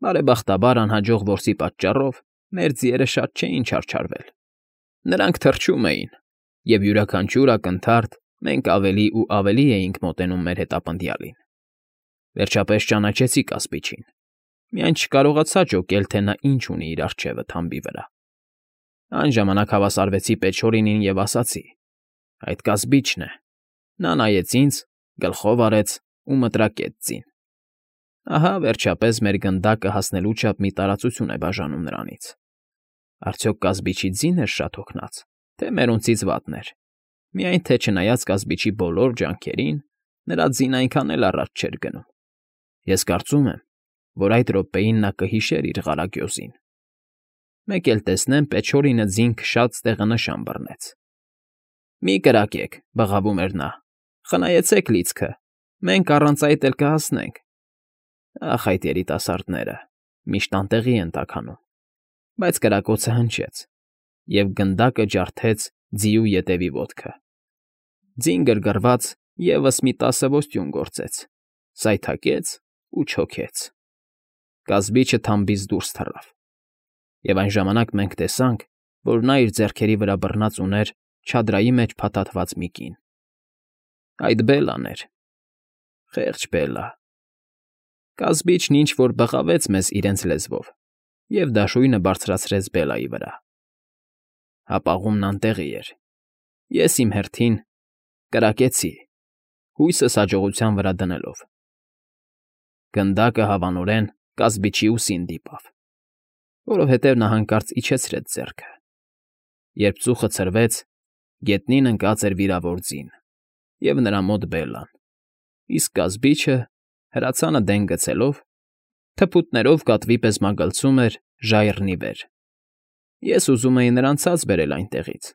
Բարեբախտաբար անհաջող որսի պատճառով մեր ձիերը շատ չէին չարչարվել. նրանք թռչում էին, և յուրաքանչյուր ակնթարթ մենք ավելի ու ավելի էինք մոտենում մեր հետապնդյալին։ Վերջապես ճանաչեցի կասպիչին, միայն չկարողացա ջոկել, թե նա ինչ ունի իր առջևը թամբի վրա։ Այն ժամանակ հավասարվեցի Պեչորինին և ասացի. «Այդ կասպիչն է»։ Նա նայեց ինձ, գլխով արեց ու մտրակեց ձին։ Ահա, վերջապես, մեր գնդակը հասնելու չափ մի տարածություն է բաժանում նրանից։ Արդյոք կասպիչի ձին էր շատ հոգնած, թե մերոնցից վատն էր։ Միայն թե չնայած կասպիչի բոլոր ջանքերին, նրա ձին այնքան էլ առաջ չէր գնում։ Ես կարծում եմ, որ այդ րոպեին նա կհիշեր իր ղարագյոզին։ Մեկ էլ տեսնեմ, Պեչորինը ձին քշած տեղը նշան բռնեց։ «Մի կրակեք», բղավում էր նա, «խնայեցեք լիցքը, մենք առանց այդ էլ կհասնենք»։ Ախ, այդ երիտասարդները միշտ անտեղի են տաքանում։ Բայց կրակոցը հնչեց, և գնդակը ջարդեց ձիու ետևի ոտքը։ Ձին գրգռված ևս մի 10 ոստյուն գործեց, սայթաքեց ու չոքեց։ Կասպիչը թամբից դուրս թռավ, և այն ժամանակ մենք տեսանք, որ նա իր ձեռքերի վրա բռնած ուներ չադրայի մեջ փաթաթված մի կին։ Այդ Բելլան էր։ Խեղճ Բելլա։ Կասպիչն ինչ֊որ բղավեց մեզ իրենց լեզվով և դաշույնը բարձրացրեց Բելլայի վրա։ Հապաղումն անտեղի էր։ Ես իմ հերթին կրակեցի, հույսս հաջողության վրա դնելով։ Գնդակը հավանորեն կասպիչի ուսին դիպավ, որովհետև նա հանկարծ իջեցրեց ձեռքը։ Երբ ծուխը ցրվեց, գետնին ընկած էր վիրավոր ձին, և նրա մոտ Բելլան, իսկ կասպիչը, հրացանը դեն գցելով, թփուտներով կատվի պես մագլցում էր ժայռն ի վեր։ Ես ուզում էի նրան ցած բերել այնտեղից,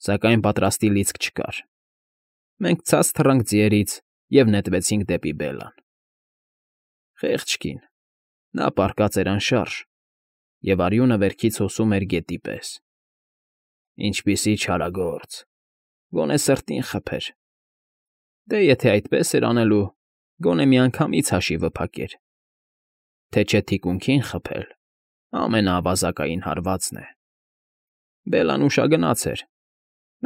սակայն պատրաստի լիցք չկար։ Մենք ցած թռանք ձիերից և նետվեցինք դեպի Բելլան։ Խեղճ կին, նա պառկած էր անշարժ, և արյունը վերքից հոսում էր գետի պես։ Ինչպիսի չարագործ, գոնե սրտին խփեր։ Դե եթե այդպես էր անելու, գոնե միանգամից հաշիվը փակեր։ Թե չէ թիկունքին խփել ամենաավազակային հարվածն է։ Բելլան ուշագնաց էր։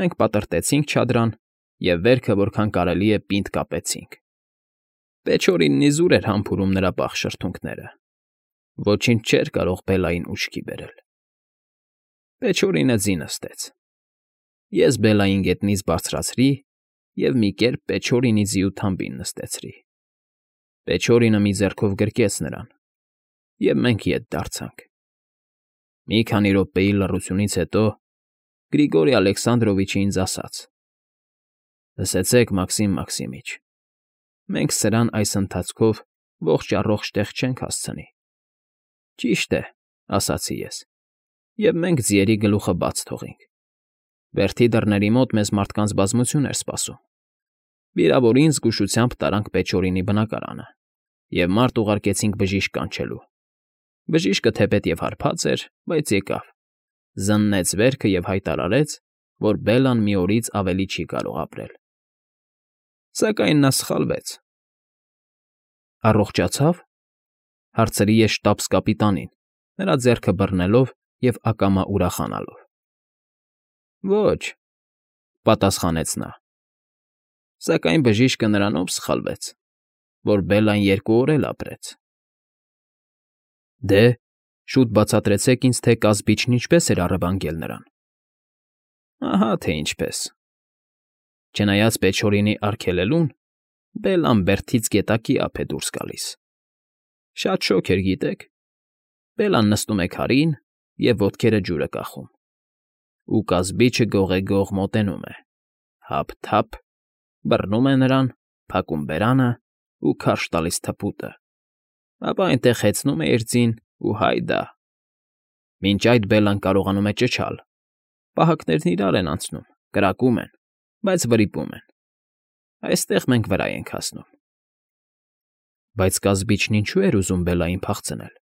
Մենք պատրտեցինք չադրան և վերքը որքան կարելի է պինդ կապեցինք։ Պեչորինն իզուր էր համբուրում նրա պաղ շրթունքները։ Ոչինչ չէր կարող Բելլային ուշքի բերել։ Պեչորինը ձի նստեց։ Ես Բելլային գետնից բարձրացրի և մի կերպ Պեչորինի ձիու թամբին նստեցրի։ Պեչորինը մի ձեռքով գրկեց նրան, և մենք ետ դարձանք։ Մի քանի րոպեի լռությունից հետո Գրիգորի Ալեքսանդրովիչը ինձ ասաց. «Լսեցեք, Մաքսիմ Մաքսիմիչ, մենք սրան այս ընթացքով ողջ֊առողջ տեղ չենք հասցնի»։ «Ճիշտ է», ասացի ես, «և մենք ձիերի գլուխը բաց թողինք։ Բերդի դռների մոտ մեզ մարդկանց բազմություն էր սպասում։ Վիրավորին զգուշությամբ տարանք Պեչորինի բնակարանը և մարդ ուղարկեցինք բժիշկ կանչելու։ Բժիշկը թեպետև հարբած էր, բայց եկավ, զննեց վերքը և հայտարարեց, որ Բելլան մի օրից ավելի չի կարող ապրել։ Սակայն նա սխալվեց»։ «Առողջացա՞վ», հարցրի ես շտաբս֊կապիտանին, նրա ձեռքը բռնելով և ակամա ուրախանալով։ «Ոչ», պատասխանեց նա, «սակայն բժիշկը նրանով սխալվեց, որ Բելլան 2 օր էլ ապրեց»։ «Դե, շուտ բացատրեցեք ինձ, թե կասպիչն ինչպես էր առևանգել նրան»։ «Ահա թե ինչպես։ Չնայած Պեչորինի արգելելուն, Բելլան բերդից գետակի ափ է դուրս գալիս։ Շատ շոգ էր, գիտեք։ Բելլան նստում է քարին և ոտքերը ջուրը կախում, ու կասպիչը գողեգող մոտենում է, թափ֊թափ, բռնում է նրան, փակում բերանը ու քարշ տալիս թփուտը, ապա այնտեղ հեծնում է իր ձին ու հայդա։ Մինչ այդ Բելլան կարողանում է ճչալ, պահակներն իրար են անցնում, կրակում են, բայց վրիպում են։ Այստեղ մենք վրա ենք հասնում»։ «Բայց կասպիչն ինչո՞ւ էր ուզում Բելլային փախցնել»։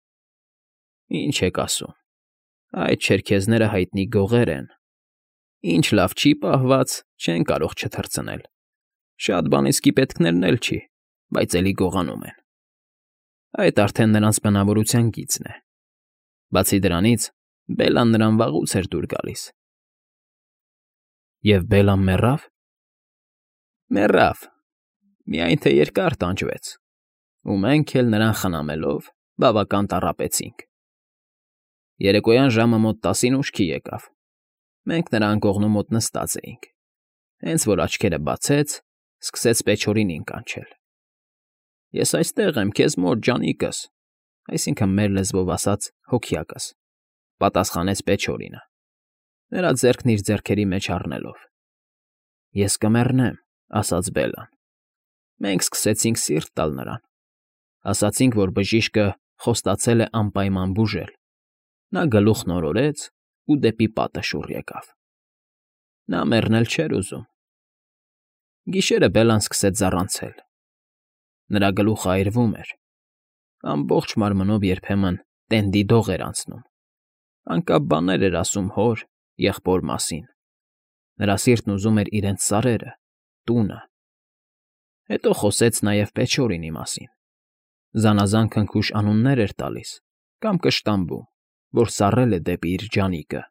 «Ինչ եք ասում, այդ չերքեզները հայտնի գողեր են։ Ինչ լավ չի պահված, չեն կարող չթռցնել։ Շատ բան իսկի պետքներն էլ չի, բայց էլի գողանում են։ Այդ արդեն նրանց բնավորության գիծն է։ Բացի դրանից, Բելլան նրան վաղուց էր դուր գալիս։ Եվ Բելլան մեռավ։ Մեռավ, միայն թե երկար տանջվեց, ու մենք էլ նրան խնամելով բավական տառապեցինք։ Երեկոյան ժամը մոտ 10-ին ուշքի եկավ։ Մենք նրա անկողնու մոտ նստած էինք։ Հենց որ աչքերը բացեց, սկսեց Պեչորինին կանչել։ Ես այստեղ եմ, քեզ մոտ, ջանիկս, այսինքն մեր լեզվով ասած հոգյակս, պատասխանեց Պեչորինը, նրա ձեռքն իր ձեռքերի մեջ առնելով։ Ես կմեռնեմ, ասաց Բելլան։ Մենք սկսեցինք սիրտ տալ նրան։ Ասացինք, որ բժիշկը խոստացել է անպայման բուժել։ Նա գլուխն օրորեց ու դեպի պատը շուռ եկավ։ Նա մեռնել չէր ուզում։ Գիշերը Բելլան սկսեց զառանցել։ Նրա գլուխը այրվում էր։ Ամբողջ մարմնով երբեմն տենդի դող էր անցնում։ Անկապ բաներ էր ասում հոր, եղբոր մասին։ Նրա սիրտն ուզում էր իրենց սարերը, տունը։ Հետո խոսեց նաև Պեչորինի մասին։ Զանազան քնքուշ անուններ էր տալիս կամ կշտամբում, որ սառել է դեպի իր ջանիկը։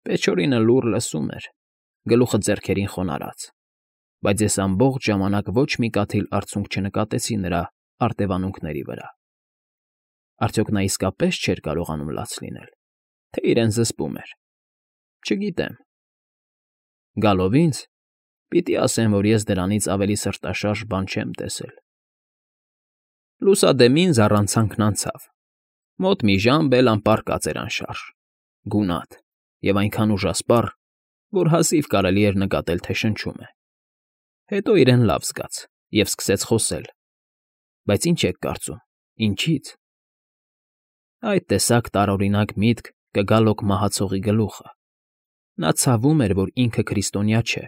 Պեչորինը լուռ լսում էր, գլուխը ձեռքերին խոնարհած, բայց ես ամբողջ ժամանակ ոչ մի կաթիլ արցունք չնկատեցի նրա արտևանունքների վրա։ Արդյոք նա իսկապես չէր կարողանում լաց լինել, թե իրեն զսպում էր։ Չգիտեմ։ Գալով ինձ, պիտի ասեմ, որ ես դրանից ավելի սրտաշարժ բան չեմ տեսել։ Լուսադեմին զառանցանքն անցավ։ Մոտ մի ժամ Բելլան պառկած էր անշարժ, գունատ և այնքան ուժասպառ, որ հազիվ կարելի էր նկատել, թե շնչում է։ Հետո իրեն լավ զգաց և սկսեց խոսել։ Բայց ինչ եք կարծում, ինչի՞ց։ Այդ տեսակ տարօրինակ միտք կգալոք մահացողի գլուխը։ Նա ցավում էր, որ ինքը քրիստոնյա չէ,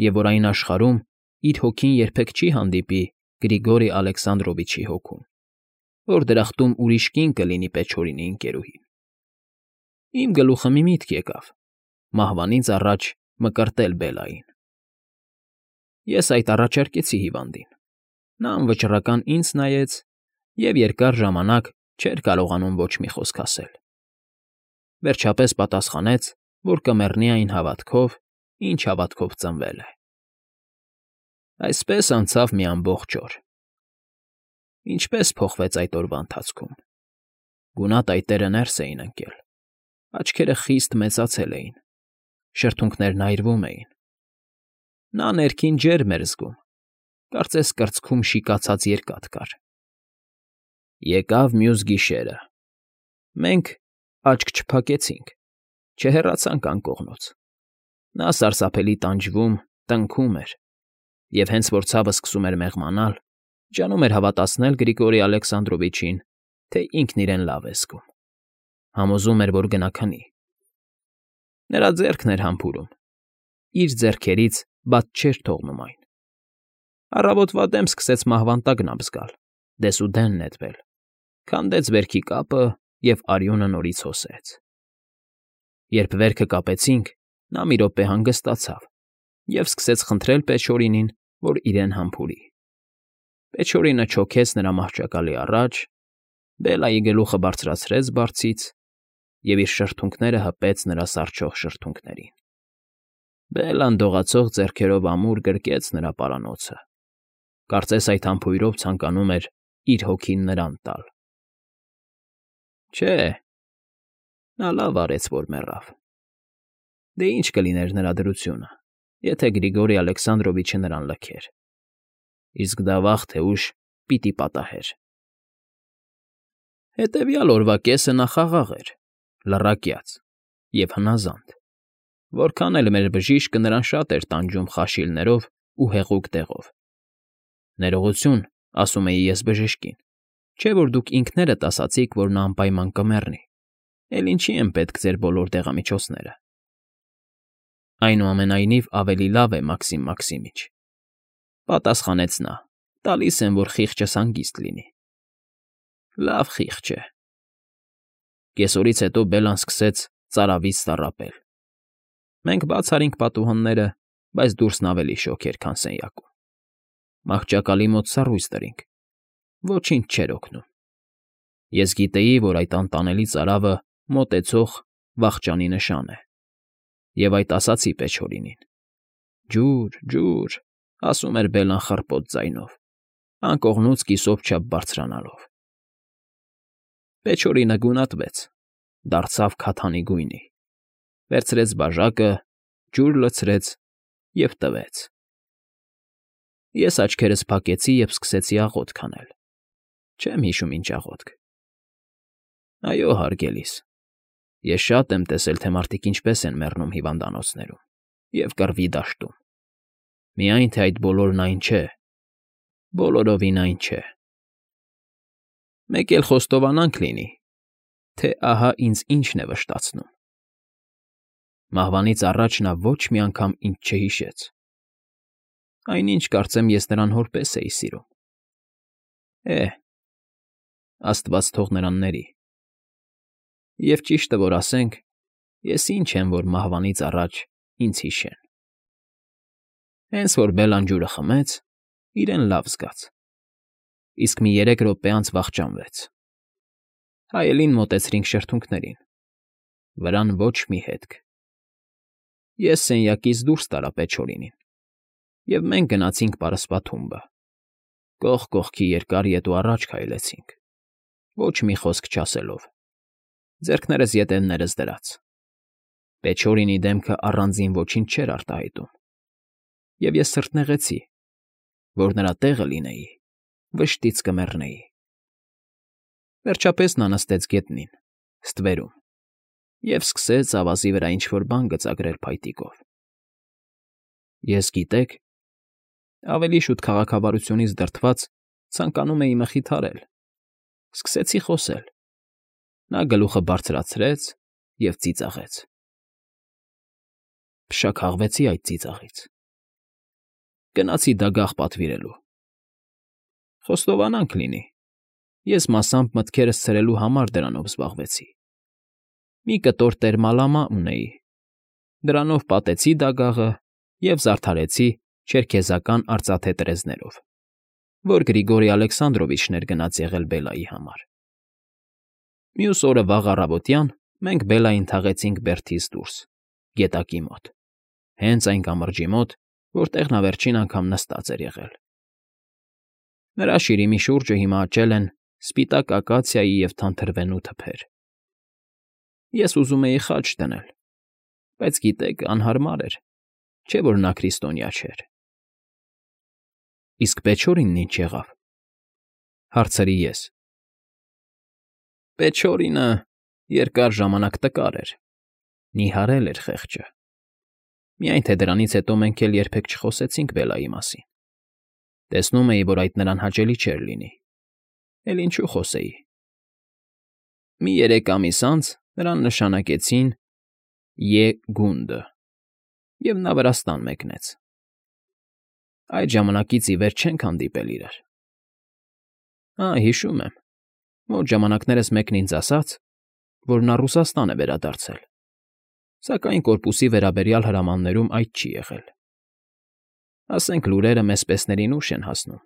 և որ այն աշխարհում իր հոգին երբեք չի հանդիպի Գրիգորի Ալեքսանդրովիչի հոգուն, որ դրախտում ուրիշ կին կլինի Պեչորինի ընկերուհին։ Իմ գլուխը մի միտք եկավ. մահվանից առաջ մկրտել Բելլային։ Ես այդ առաջարկեցի հիվանդին։ Նա անվճռական ինձ նայեց և երկար ժամանակ չէր կարողանում ոչ մի խոսք ասել։ Վերջապես պատասխանեց, որ կմեռնի այն հավատքով, ինչ հավատքով ծնվել է։ Այսպես անցավ մի ամբողջ օր։ Ինչպես փոխվեց այդ օրվա ընթացքում։ Գունատ այտերը ներս էին ընկել։ Աչքերը խիստ մեծացել էին։ Շրթունքներն այրվում էին։ Նա ներքին ջերմ էր զգում։ Կարծես կրծքում շիկացած երկաթ կար։ Եկավ մյուս գիշերը։ Մենք աչք չփակեցինք, չհեռացանք անկողնուց։ Նա սարսափելի տանջվում, տնքում էր, և հենց որ ցավը սկսում էր մեղմանալ, ջանում էր հավատացնել Գրիգորի Ալեքսանդրովիչին, թե ինքն իրեն լավ է զգում։ Համոզում էր, որ գնա քնի։ Նրա ձեռքն էր համբուրում։ Իր ձեռքերից բաց չէր թողնում այն։ Առավոտվա դեմ սկսեց մահվան տագնապ զգալ, դեսուդեն նետվել, քանդեց վերքի կապը և արյունը նորից հոսեց։ Երբ վերքը կապեցինք, նա մի րոպե հանգստացավ և սկսեց խնդրել Պեչորինին, որ իրեն համբուրի։ Պեչորինը չոքեց նրա մահճակալի առաջ, Բելլայի գլուխը բարձրացրեց բարձից և իր շրթունքները հպեց նրա սառչող շրթունքներին։ Բելլան դողացող ձեռքերով ամուր գրկեց նրա պարանոցը։ Կարծես այդ համբույրով ցանկանում էր իր հոգին նրան տալ։ Չէ, նա լավ արեց, որ մեռավ։ Դե ինչ կլիներ նրա դրությունը, եթե Գրիգորի Ալեքսանդրովիչը նրան լքեր։ Իսկ դա վաղ թե ուշ պիտի պատահեր։ Հետևյալ օրվա կեսը նա խաղաղ էր, լռակյաց և հնազանդ։ Որքան էլ մեր բժիշկը նրան շատ էր տանջում խաշիլներով ու հեղուկ դեղով։ Ներողություն, ասում էի ես բժշկին, չէ՞ որ դուք ինքներդ ասացիք, որ նա անպայման կմեռնի, էլ ինչի են պետք ձեր բոլոր դեղամիջոցները։ Այնուամենայնիվ ավելի լավ է, Մաքսիմ Մաքսիմիչ, պատասխանեց նա, տալիս եմ, որ խիղճս հանգիստ լինի։ Լավ խիղճ է։ Կեսօրից հետո Բելլան սկսեց ծարավից տառապել։ Մենք բաց արինք պատուհանները, բայց դուրսն ավելի շոգ էր, քան սենյակում։ Մահճակալի մոտ սառույց դրինք։ ոչինչ չէր օգնում։ Ես գիտեի, որ այդ անտանելի ծարավը մոտեցող վախճանի նշան է, և այդ ասացի Պեչորինին։ «Ջուր, ջուր», ասում էր Բելլան խռպոտ ձայնով, անկողնուց կիսով չափ բարձրանալով։ Պեչորինը գունատվեց, դարձավ քաթանի գույնի, վերցրեց բաժակը, ջուր լցրեց և տվեց։ Ես աչքերս փակեցի և սկսեցի աղոթք անել։ Չեմ հիշում ինչ աղոթք։ Այո, հարգելիս, ես շատ եմ տեսել, թե մարդիկ ինչպես են մեռնում հիվանդանոցներում և կռվի դաշտում։ Միայն թե այդ բոլորն այն չէ, բոլորովին այն չէ։ Մեկ էլ խոստովանանք լինի, թե ահա ինձ ինչն է վշտացնում։ Մահվանից առաջ նա ոչ մի անգամ ինձ չհիշեց։ Այնինչ, կարծեմ, ես նրան հորպես էի սիրում։ Աստված թող նրան ների։ Եվ ճիշտը որ ասենք, ես ինչ եմ, որ մահվանից առաջ ինձ հիշեն։ Հենց որ Բելլան ջուրը խմեց, իրեն լավ զգաց, իսկ մի 3 րոպե անց վախճանվեց։ Հայելին մոտեցրինք շրթունքներին, վրան ոչ մի հետք։ Ես սենյակից դուրս տարա Պեչորինին, և մենք գնացինք պարսպաթումբը, կողք կողքի երկար ետ ու առաջ քայլեցինք, ոչ մի խոսք չասելով, ձեռքներս ետևներս դրած։ Պեչորինի դեմքը առանձին ոչինչ չէր արտահայտում, և ես սրտնեղեցի, որ նրա տեղը լինեի, վշտից կմեռնեի։ Վերջապես նա նստեց գետնին, ստվերում, և սկսեց ավազի վրա ինչ֊որ բան գծագրել փայտիկով։ Ես, գիտեք, ավելի շուտ քաղաքավարությունից դրդված ցանկանում էի մխիթարել։ Սկսեցի խոսել։ Նա գլուխը բարձրացրեց և ծիծաղեց։ Փշաքաղվեցի այդ ծիծաղից։ Գնացի դագաղ պատվիրելու։ Խոստովանանք լինի, ես մասամբ մտքերս ցրելու համար դրանով զբաղվեցի։ Մի կտոր տերմալամա ունեի, դրանով պատեցի դագաղը և զարդարեցի չերքեզական արծաթե տրեզներով, որ Գրիգորի Ալեքսանդրովիչն էր գնած եղել Բելլայի համար։ Մյուս օրը վաղ առավոտյան մենք Բելլային թաղեցինք բերդից դուրս, գետակի մոտ, հենց այն կամրջի մոտ, որտեղ նա վերջին անգամ նստած էր եղել։ Նրա շիրիմի շուրջը հիմա աճել են սպիտակ ակացիայի և թանթրվենու թփեր։ Ես ուզում էի խաչ դնել, բայց գիտեք, անհարմար էր, չէ՞ որ նա քրիստոնյա չէր։ Իսկ Պեչորինն ինչ եղավ, հարցրի ես։ Պեչորինը երկար ժամանակ տկար էր, նիհարել էր խեղճը։ Միայն թե դրանից հետո մենք էլ երբեք չխոսեցինք Բելլայի մասին։ Տեսնում էի, որ այդ նրան հաճելի չէր լինի, էլ ինչու խոսեի։ Մի 3 ամիս անց նրան նշանակեցին Ե. գունդը, և նա Վրաստան մեկնեց։ Այդ ժամանակից ի վեր չենք հանդիպել իրար։ Հիշում եմ, մոտ ժամանակներս մեկն ինձ ասաց, որ նա Ռուսաստան է վերադարձել, սակայն կորպուսի վերաբերյալ հրամաններում այդ չի եղել։ Ասենք լուրերը մեզպեսներին ուշ են հասնում։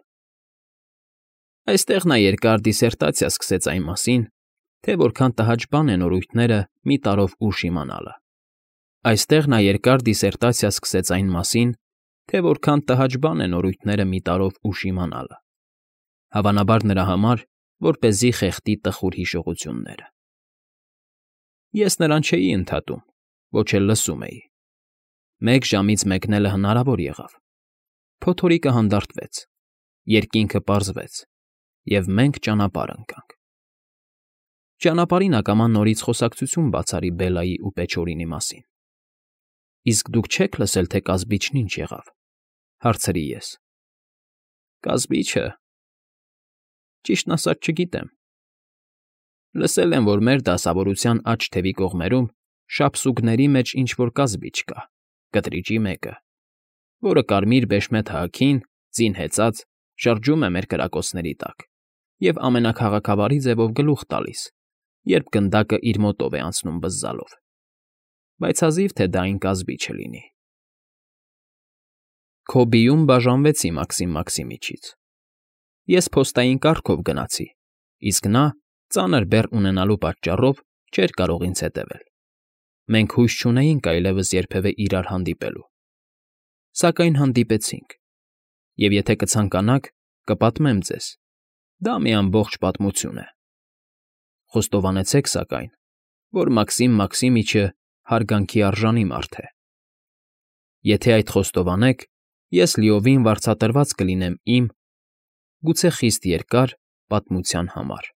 Այստեղ նա երկար դիսերտացիա սկսեց այն մասին, թե որքան տհաճ բան են օրույթները մի տարով ուշ իմանալը։ Այստեղ նա երկար դիսերտացիա սկսեց այն մասին, թե որքան տհաճ բան են օրույթները մի տարով ուշ իմանալը։ Հավանաբար նրա համար, որպեսզի խեղդի տխուր հիշողությունները։ Ես նրան չէի ընդհատում, ոչ էլ լսում էի։ 1 ժամից մեկնելը հնարավոր եղավ։ Փոթորիկը հանդարտվեց, երկինքը պարզվեց, և մենք ճանապարհ ընկանք։ Ճանապարհին ակամա նորից խոսակցություն բաց արի Բելլայի ու Պեչորինի մասին։ Իսկ դուք չե՞ք լսել, թե կազբիչն ինչ եղավ, հարցրի ես։ Կազբիչը… Ճիշտն ասած չգիտեմ։ Լսել եմ, որ մեր դասավորության աջ թևի կողմերում շապսուկների մեջ ինչ֊որ կազբիչ կա, կտրիճի մեկը, որը կարմիր բեշմեթ հագին, ձին հեծած, շրջում է մեր կրակոցների տակ և ամենաքաղաքավարի ձևով գլուխ տալիս, երբ գնդակը իր մոտով է անցնում բզզալով, բայց հազիվ թե դա այն կազբիչը լինի։ Քոբիում բաժանվեցի Մաքսիմ Մաքսիմիչից։ Ես փոստային կառքով գնացի, իսկ նա, ծանր բեռ ունենալու պատճառով, չէր կարող ինձ հետևել։ Մենք հույս չունեինք այլևս երբևէ իրար հանդիպելու։ Սակայն հանդիպեցինք, և եթե կցանկանաք, կպատմեմ ձեզ. դա մի ամբողջ պատմություն է։ Խոստովանեցեք, սակայն, որ Մաքսիմ Մաքսիմիչը հարգանքի արժանի մարդ է։ Եթե այդ խոստովանեք, ես լիովին վարձատրված կլինեմ իմ, գուցե խիստ երկար, պատմության համար։